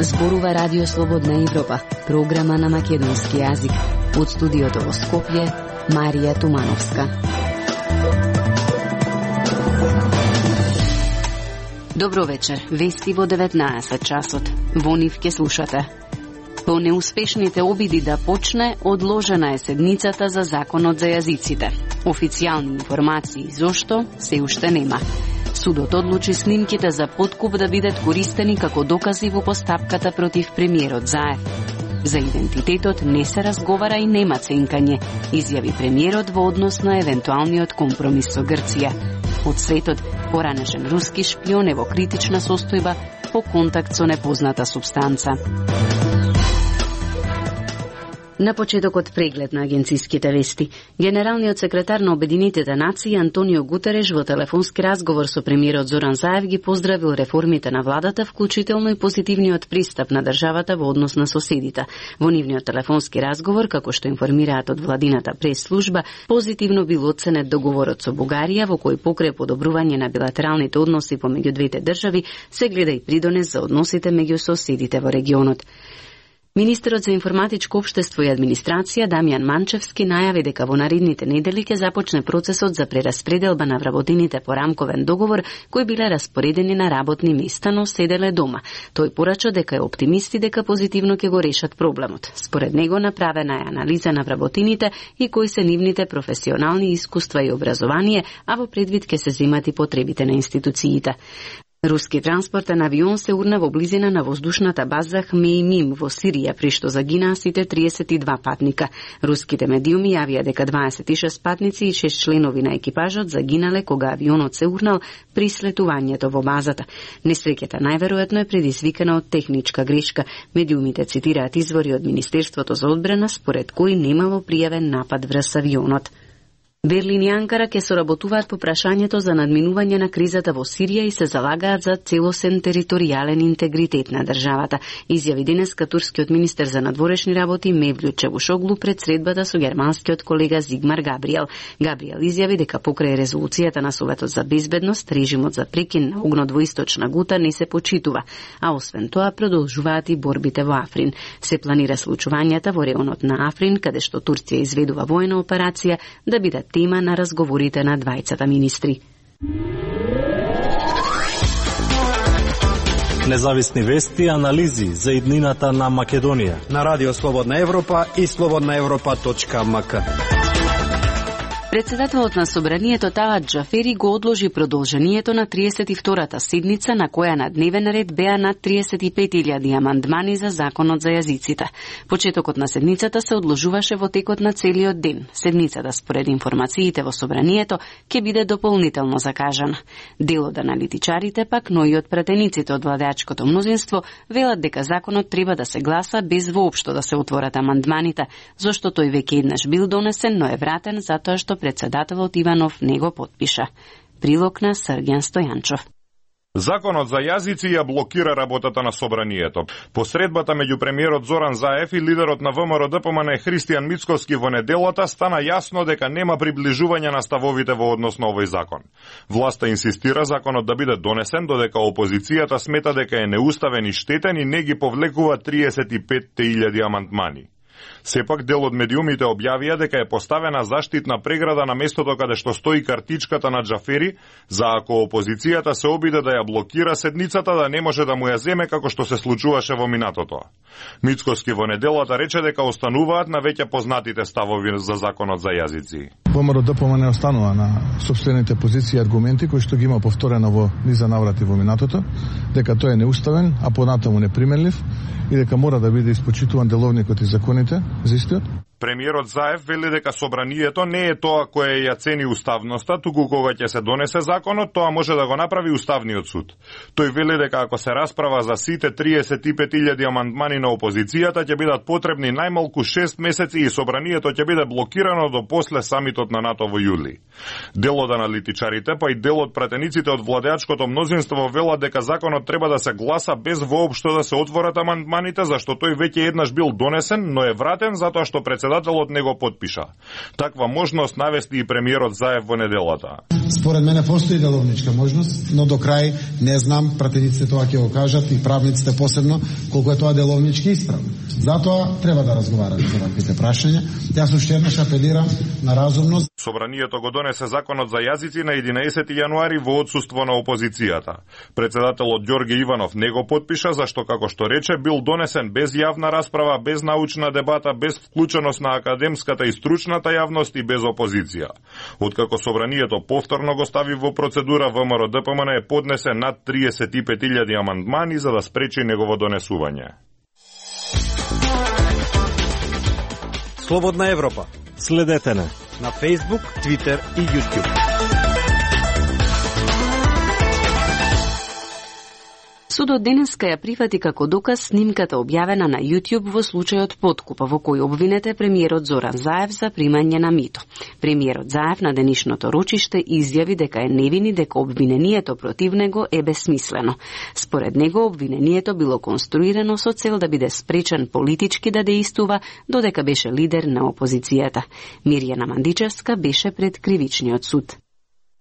Зборува Радио Слободна Европа, програма на македонски јазик. Од студиото во Скопје, Марија Тумановска. Добро вечер, вести во 19 часот. Во нив ке слушате. По неуспешните обиди да почне, одложена е седницата за законот за јазиците. Официјални информации зошто се уште нема. Судот одлучи снимките за подкуп да бидат користени како докази во постапката против премиерот Заев. За идентитетот не се разговара и нема ценкање, изјави премиерот во однос на евентуалниот компромис со Грција. Од светот, поранешен руски шпион е во критична состојба по контакт со непозната супстанца. На почетокот преглед на агенциските вести. Генералниот секретар на Обединетите нации Антонио Гутереш во телефонски разговор со премиерот Зоран Заев ги поздравил реформите на владата, вклучително и позитивниот пристап на државата во однос на соседите. Во нивниот телефонски разговор, како што информираат од владината прес-служба, позитивно бил оценет договорот со Бугарија, во кој покрај подобрување на билатералните односи помеѓу двете држави, се гледа и придонес за односите меѓу соседите во регионот. Министерот за информатичко општество и администрација Дамјан Манчевски најави дека во наредните недели ќе започне процесот за прераспределба на вработените по рамковен договор кои биле распоредени на работни места, но седеле дома. Тој порача дека е оптимисти дека позитивно ќе го решат проблемот. Според него направена е анализа на вработените и кои се нивните професионални искуства и образование, а во предвид ќе се земат и потребите на институциите. Руски транспортен авион се урна во близина на воздушната база Хмеймим во Сирија, при што загинаа сите 32 патника. Руските медиуми јавија дека 26 патници и 6 членови на екипажот загинале кога авионот се урнал при слетувањето во базата. Несреќата најверојатно е предизвикана од техничка грешка. Медиумите цитираат извори од Министерството за одбрана, според кои немало пријавен напад врз авионот. Берлин и Анкара ќе соработуваат по прашањето за надминување на кризата во Сирија и се залагаат за целосен територијален интегритет на државата, изјави денеска турскиот министер за надворешни работи Мевлют Чавушоглу пред средбата со германскиот колега Зигмар Габриел. Габриел изјави дека покрај резолуцијата на Советот за безбедност, режимот за прекин на огнот во Источна Гута не се почитува, а освен тоа продолжуваат и борбите во Африн. Се планира случувањата во реонот на Африн, каде што Турција изведува воена операција, да бидат тема на разговорите на двајцата министри. Независни вести и анализи за иднината на Македонија на Радио Слободна Европа и slobodnaevropa.mk. Председателот на Собранието Талат Џафери го одложи продолжението на 32-та седница на која на дневен ред беа над 35.000 амандмани за законот за јазиците. Почетокот на седницата се одложуваше во текот на целиот ден. Седницата, според информациите во Собранието, ќе биде дополнително закажана. Дел од аналитичарите пак, но и од пратениците од владеачкото мнозинство, велат дека законот треба да се гласа без воопшто да се отворат амандманите, зашто тој веќе еднаш бил донесен, но е вратен затоа што председателот Иванов не го потпиша. Прилог на Сргјан Стојанчов. Законот за јазици ја блокира работата на Собранието. По средбата меѓу премиерот Зоран Заев и лидерот на ВМРО ДПМН Христијан Мицковски во неделата стана јасно дека нема приближување на ставовите во однос на овој закон. Власта инсистира законот да биде донесен, додека опозицијата смета дека е неуставен и штетен и не ги повлекува 35.000 амандмани. Сепак дел од медиумите објавија дека е поставена заштитна преграда на местото каде што стои картичката на Џафери, за ако опозицијата се обиде да ја блокира седницата да не може да му ја земе како што се случуваше во минатото. Мицковски во неделата рече дека остануваат на веќе познатите ставови за законот за јазици. ВМРО ДПМН останува на сопствените позиции и аргументи кои што ги има повторено во низа наврати во минатото, дека тој е неуставен, а понатаму неприменлив и дека мора да биде испочитуван деловникот и законите за истиот. Премиерот Заев вели дека Собранието не е тоа кое ја цени уставноста, туку кога ќе се донесе законот, тоа може да го направи Уставниот суд. Тој вели дека ако се расправа за сите 35.000 амандмани на опозицијата, ќе бидат потребни најмалку 6 месеци и Собранието ќе биде блокирано до после самитот на НАТО во јули. Дел од аналитичарите, па и дел од пратениците од владеачкото мнозинство велат дека законот треба да се гласа без воопшто да се отворат амандманите, зашто тој веќе еднаш бил донесен, но е вратен затоа што председателот председателот не го потпиша. Таква можност навести и премиерот Заев во неделата. Според мене постои деловничка можност, но до крај не знам, пратениците тоа ќе го кажат и правниците посебно, колку е тоа деловнички исправно. Затоа треба да разговараме за ваквите прашања. Јас уште еднаш апелирам на разумност. Собранието го донесе законот за јазици на 11 јануари во отсуство на опозицијата. Председателот Ѓорге Иванов не го потпиша, зашто, како што рече, бил донесен без јавна расправа, без научна дебата, без вклученост на академската и стручната јавност и без опозиција. Откако собранието повторно го стави во процедура, ВМРО ДПМН е поднесе над 35.000 амандмани за да спречи негово донесување. Слободна Европа. Следете на Facebook, Twitter и YouTube. Судот денеска ја прифати како доказ снимката објавена на YouTube во случајот подкуп, во кој обвинете премиерот Зоран Заев за примање на мито. Премиерот Заев на денешното рочиште изјави дека е невин и дека обвинението против него е бесмислено. Според него обвинението било конструирано со цел да биде спречен политички да дејствува, додека беше лидер на опозицијата. Мирјана Мандичевска беше пред кривичниот суд.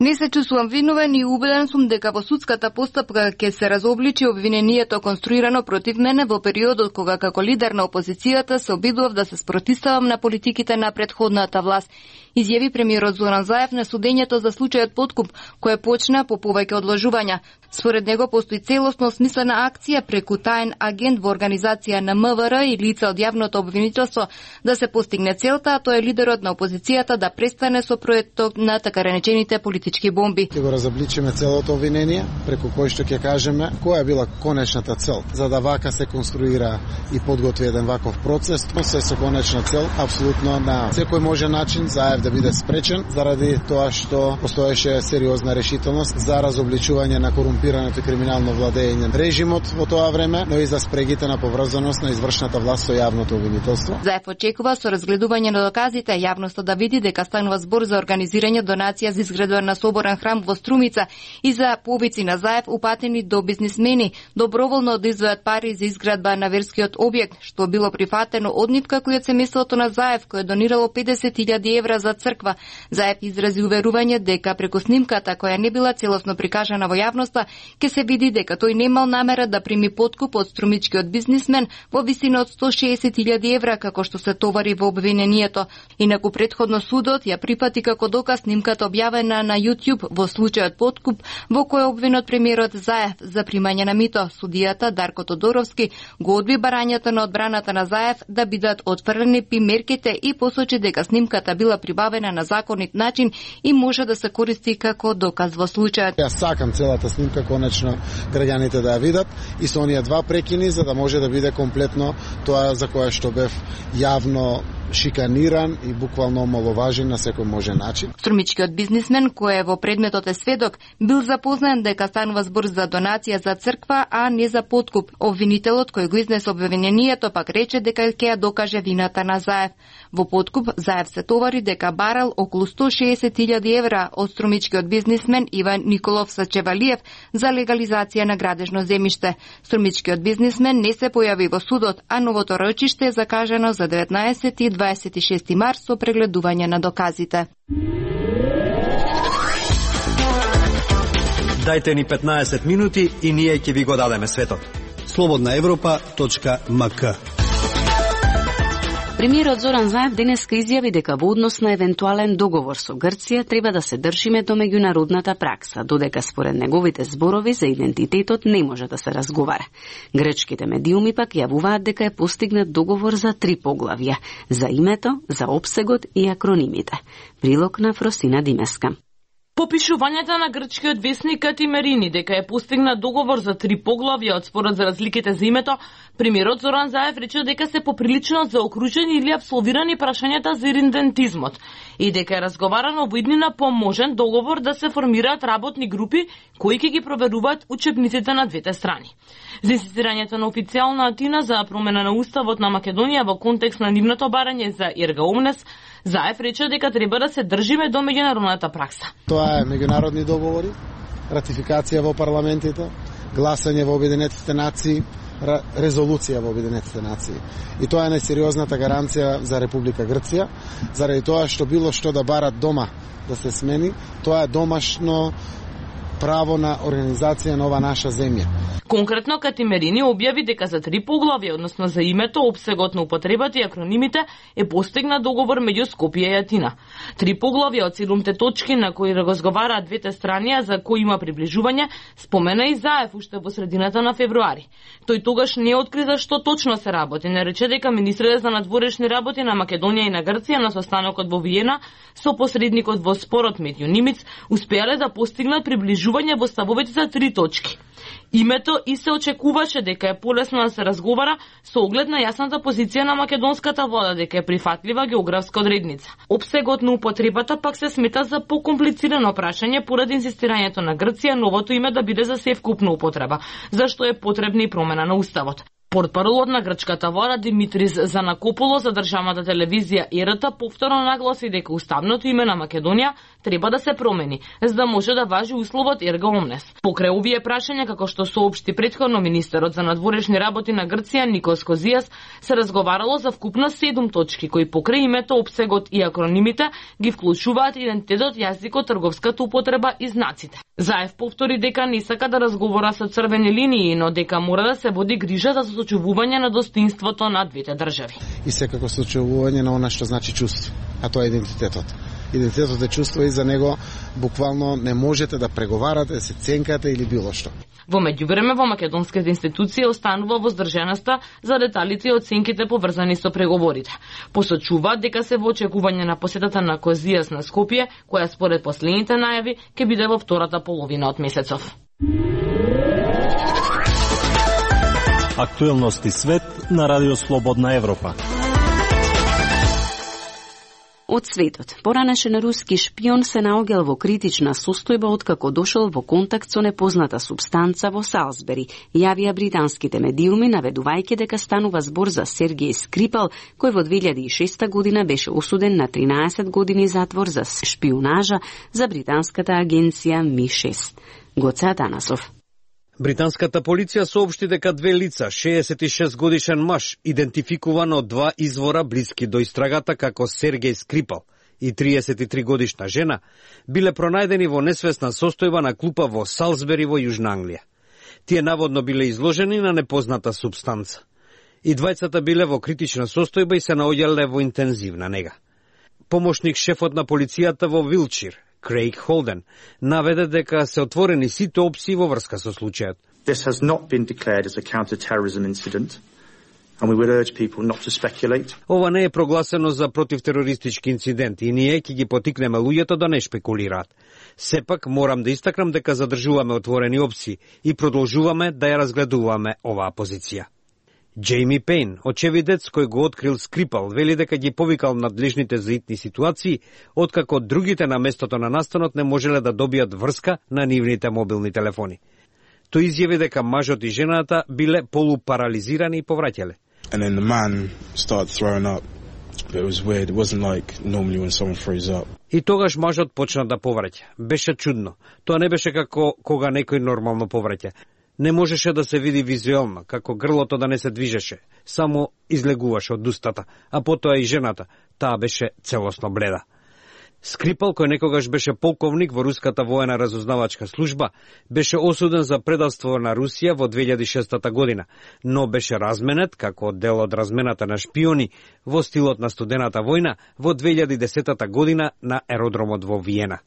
Не се чувствувам виновен и убеден сум дека во судската постапка ќе се разобличи обвинението конструирано против мене во периодот кога како лидер на опозицијата се обидував да се спротивставам на политиките на претходната власт, изјави премиерот Зоран Заев на судењето за случајот подкуп, кој почна по повеќе одложувања. Според него постои целосно смислена акција преку таен агент во организација на МВР и лица од јавното обвинителство да се постигне целта, а тоа е лидерот на опозицијата да престане со проектот на така речените политички бомби. Ќе го разобличиме целото обвинение, преку кој што ќе кажеме која е била конечната цел, за да вака се конструира и подготви еден ваков процес, се со конечна цел апсолутно на секој можен начин Заев да биде спречен заради тоа што постоеше сериозна решителност за разобличување на корумпираното и криминално владење режимот во тоа време, но и за спрегите на поврзаност на извршната власт со јавното обвинителство. Заев очекува со разгледување на доказите јавноста да види дека станува збор за организирање донација за изградба на соборен храм во Струмица и за повици на Заев упатени до бизнисмени, доброволно да издвојат пари за изградба на верскиот објект, што било прифатено од нитка кој од семејството на Заев, кој донирало 50.000 евра за црква. Заев изрази уверување дека преку снимката која не била целосно прикажана во јавноста, ќе се види дека тој немал намера да прими подкуп од струмичкиот бизнисмен во висина од 160.000 евра, како што се товари во обвинението. Инаку претходно судот ја прифати како доказ снимката објавена на YouTube во случајот подкуп, во кој обвинет премиерот Заев за примање на мито. Судијата Дарко Тодоровски го одби барањето на одбраната на Заев да бидат отфрлени примерките и посочи дека снимката била прибавена на законит начин и може да се користи како доказ во случајот. Јас сакам целата снимка конечно граѓаните да ја видат и со оние два прекини за да може да биде комплетно тоа за кое што бев јавно шиканиран и буквално омаловажен на секој можен начин. Струмичкиот бизнисмен, кој во предметот е сведок, бил запознан дека станува збор за донација за црква, а не за подкуп. Обвинителот кој го изнесе обвинението пак рече дека ќе ја докаже вината на Заев. Во подкуп Заев се товари дека барал околу 160.000 евра од струмичкиот бизнисмен Иван Николов Сачевалиев за легализација на градежно земјиште. Струмичкиот бизнисмен не се појави во судот, а новото рочиште е закажано за 19 и 26 март со прегледување на доказите. Дајте ни 15 минути и ние ќе ви го дадеме светот. slobodnaevropa.mk. Премиерот Зоран Заев денеска изјави дека во однос на евентуален договор со Грција треба да се држиме до меѓународната пракса, додека според неговите зборови за идентитетот не може да се разговара. Грчките медиуми пак јавуваат дека е постигнат договор за 3 поглавја: за името, за опсегот и акронимите. Прилог на Фросина Димеска. По пишувањата на грчкиот весник Катимерини дека е постигнат договор за 3 поглавја од спорот за разликите за името, премиерот Зоран Заев рече дека се поприлично заокружени или апсолвирани прашањата за идентизмот и дека е разговарано во иднина по можен договор да се формираат работни групи кои ќе ги проверуваат учебниците на двете страни. За инсистирањето на официјална Атина за промена на уставот на Македонија во контекст на нивното барање за Ирга Омнес, Заев рече дека треба да се држиме до меѓународната пракса. Тоа е меѓународни договори, ратификација во парламентите, гласање во Обединетите нации, резолуција во Обединетите нации. И тоа е најсериозната гаранција за Република Грција, заради тоа што било што да барат дома да се смени, тоа е домашно право на организација на ова наша земја. Конкретно Катимерини објави дека за 3 поглавја, односно за името, опсегот на употребата и акронимите, е постигнат договор меѓу Скопје и Атина. 3 поглавја од 7 точки на кои разговараат двете страни, за кои има приближување, спомена и Заев уште во средината на февруари. Тој тогаш не откри за што точно се работи, не рече дека министрите за надворешни работи на Македонија и на Грција на состанокот во Виена со посредникот во спорот Метју Нимиц успеале да постигнат приближување во ставовите за 3 точки. Името и се очекуваше дека е полесно да се разговара со оглед на јасната позиција на македонската влада дека е прифатлива географска одредница. Опсегот на употребата пак се смета за покомплицирано прашање поради инсистирањето на Грција новото име да биде за севкупна употреба, зашто е потребна и промена на уставот. Портпаролот на грчката влада Димитрис Занакополос за државната телевизија РТ повторно нагласи дека уставното име на Македонија треба да се промени, за да може да важи условот ерга омнес. Покрај овие прашања, како што соопшти претходно министерот за надворешни работи на Грција Никос Козијас, се разговарало за вкупно 7 точки кои покрај името, опсегот и акронимите ги вклучуваат идентитетот, јазикот, трговската употреба и знаците. Заев повтори дека не сака да разговара со црвени линии, но дека мора да се води грижа за сочувување на достоинството на двете држави. И секако сочувување на она што значи чувство, а тоа е идентитетот. Идентитетот е чувство и за него буквално не можете да преговарате, се ценкате или било што. Во меѓувреме во македонските институции останува воздржаноста за деталите и оценките поврзани со преговорите. Посочуваат дека се во очекување на посетата на Козијас на Скопје, која според последните најави ќе биде во втората половина од месецов. Актуелности свет на Радио Слободна Европа. Од светот, поранешен руски шпион се наоѓал во критична состојба откако дошол во контакт со непозната супстанца во Салзбери, јавија британските медиуми наведувајќи дека станува збор за Сергеј Скрипал, кој во 2006 година беше осуден на 13 години затвор за шпионажа за британската агенција Ми-6. Гоце Атанасов. Британската полиција соопшти дека 2 лица, 66 годишен маж, идентификуван од 2 извора блиски до истрагата како Сергеј Скрипал и 33 годишна жена, биле пронајдени во несвесна состојба на клупа во Салзбери во Јужна Англија. Тие наводно биле изложени на непозната супстанца. И двајцата биле во критична состојба и се наоѓале во интензивна нега. Помошник шефот на полицијата во Вилчир, Крейг Холден, наведе дека се отворени сите опции во врска со случајот. This has not been declared as a counter-terrorism incident, and we would urge people not to speculate. Ова не е прогласено за противтерористички инцидент и ние ќе ги потикнеме луѓето да не шпекулираат. Сепак морам да истакнам дека задржуваме отворени опции и продолжуваме да ја разгледуваме оваа позиција. Джейми Пейн, очевидец кој го открил Скрипал, вели дека ги повикал надлежните за итни ситуации, откако другите на местото на настанот не можеле да добијат врска на нивните мобилни телефони. Тој изјави дека мажот и жената биле полупарализирани и повраќале. And then the man started throwing up. But it was weird. It wasn't like normally when someone throws up. И тогаш мажот почна да повраќа. Беше чудно. Тоа не беше како кога некој нормално повраќа. Не можеше да се види визуелно, како грлото да не се движеше, само излегуваше од устата, а потоа и жената, таа беше целосно бледа. Скрипал, кој некогаш беше полковник во руската воена разузнавачка служба, беше осуден за предавство на Русија во 2006 година, но беше разменет како дел од размената на шпиони во стилот на студената војна во 2010 година на аеродромот во Виена.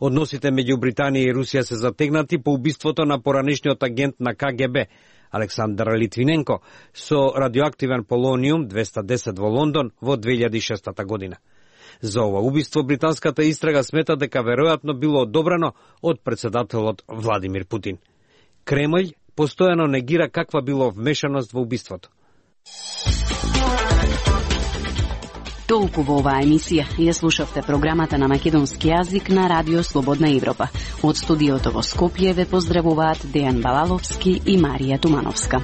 Односите меѓу Британија и Русија се затегнати по убиството на поранешниот агент на КГБ, Александар Литвиненко, со радиоактивен полониум 210 во Лондон во 2006 година. За ова убиство британската истрага смета дека веројатно било одобрено од председателот Владимир Путин. Кремљ постојано негира каква било вмешаност во убиството. Толку во оваа емисија. Ја слушавте програмата на македонски јазик на Радио Слободна Европа. Од студиото во Скопје ве поздравуваат Дејан Балаловски и Марија Тумановска.